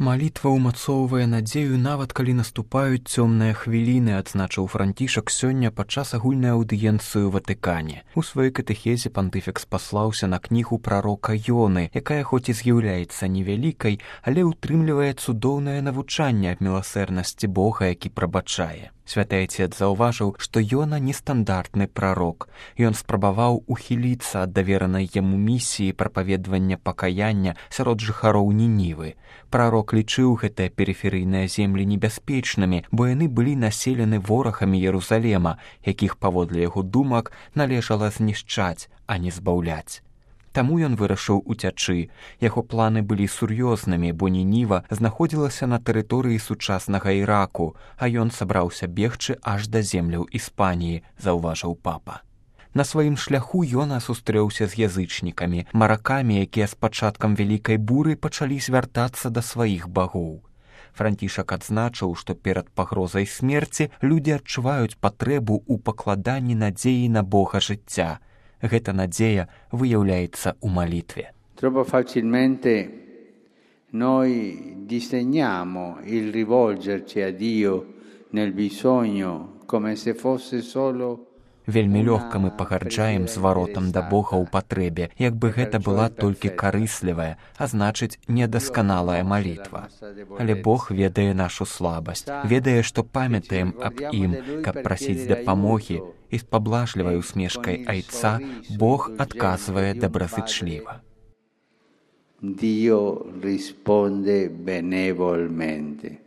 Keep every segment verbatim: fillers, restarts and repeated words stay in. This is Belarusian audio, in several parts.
Малітва ўмацоўвае надзею нават калі наступаюць цёмныя хвіліны, адзначыў Францішак сёння падчас агульнай аўдыенцыі ў Ватыкане. У сваёй катэхезе пантыфікс паслаўся на кнігу прарока Ёны, якая хоць і з'яўляецца невялікай, але ўтрымлівае цудоўнае навучанне аб міласэрнасці Бога, які прабачае. Святы Айцец заўважыў, што Ёна нестандартны прарок. Ён спрабаваў ухіліцца ад даверанай яму місіі прапаведвання пакаяння сярод жыхароў Нінівы. Прарок лічыў гэтыя перыферыйныя землі небяспечнымі, бо яны былі населены ворагамі Ерусалема, якіх, паводле яго думак, належала знішчаць, а не збаўляць. Таму ён вырашыў уцячы. Яго планы былі сур'ёзнымі, бо Нініва знаходзілася на тэрыторыі сучаснага Іраку, а ён сабраўся бегчы аж да земляў Іспаніі, заўважыў папа. На сваім шляху Ёна сустрэўся з язычнікамі, маракамі, якія з пачаткам вялікай буры пачалі звяртацца да сваіх багоў. Францішак адзначыў, што перад пагрозай смерці людзі адчуваюць патрэбу ў пакладанні надзеі на Бога жыцця. Гэта надзея выяўляецца ў малітве. Troppo facilmente noi disegniamo il rivolgerci a Dio nel bisogno come se fosse solo Вельмі лёгка мы пагарджаем зваротам да Бога ў патрэбе, як бы гэта была толькі карыслівая, а значыць, недасканалая малітва. Але Бог ведае нашу слабасць, ведае, што памятаем аб ім, каб прасіць дапамогі, і з паблажлівай усмешкай Айца Бог адказвае добразычліва. Dio risponde benevolmente.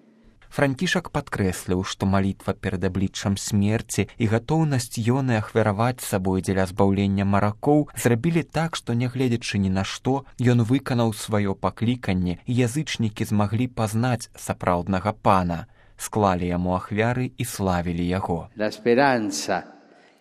Францішак падкрэсліў, што малітва перад абліччам смерці і гатоўнасць Ёны ахвяраваць сабой дзеля збаўлення маракоў зрабілі так, што, нягледзячы ні на што, ён выканаў сваё пакліканне, і язычнікі змаглі пазнаць сапраўднага пана, склалі яму ахвяры і славілі яго. La speranza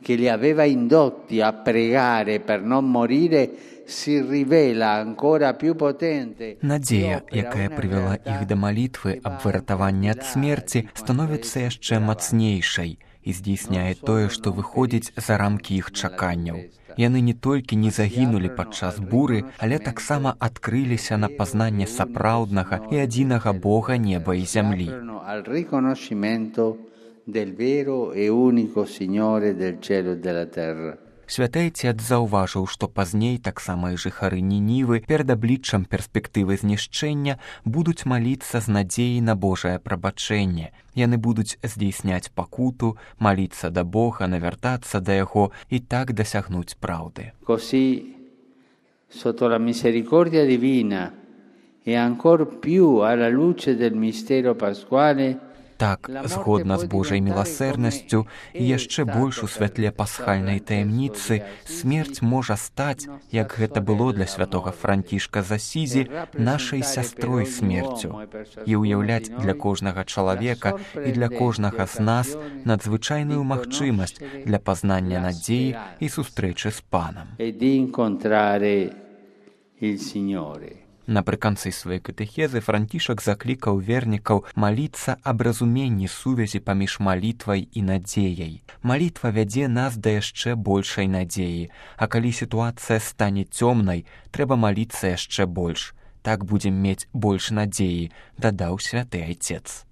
che li aveva indotti a pregare per non morire si rivela ancora più potente. Надзея, якая прывяла іх да малітвы аб выратаванні ад смерці, становіцца яшчэ мацнейшай і здзейсняе тое, што выходзіць за рамкі іх чаканняў. Яны не толькі не загінулі падчас буры, але таксама адкрыліся на пазнанне сапраўднага і адзінага Бога неба і зямлі. Al riconoscimento del vero e unico Signore del cielo e della terra. Святы Айцец заўважыў, што пазней таксама і жыхары Нінівы перад абліччам перспектывы знішчэння будуць маліцца з надзеяй на Божае прабачэнне. Яны будуць здзейсняць пакуту, маліцца да Бога, навяртацца да яго і так дасягнуць праўды. Così, sotto la misericordia divina e ancor più alla luce del mistero pasquale, Так, згодна з Божай міласэрнасцю і яшчэ больш у святле пасхальнай таямніцы, смерць можа стаць, як гэта было для святога Францішка з Асізі, нашай сястрой смерцю і ўяўляць для кожнага чалавека і для кожнага з нас надзвычайную магчымасць для пазнання надзеі і сустрэчы з Панам. Напрыканцы сваёй катэхезы Францішак заклікаў вернікаў маліцца аб разуменні сувязі паміж малітвай і надзеяй. Малітва вядзе нас да яшчэ большай надзеі, а калі сітуацыя стане цёмнай, трэба маліцца яшчэ больш. Так будзем мець больш надзеі, дадаў святы Айцец.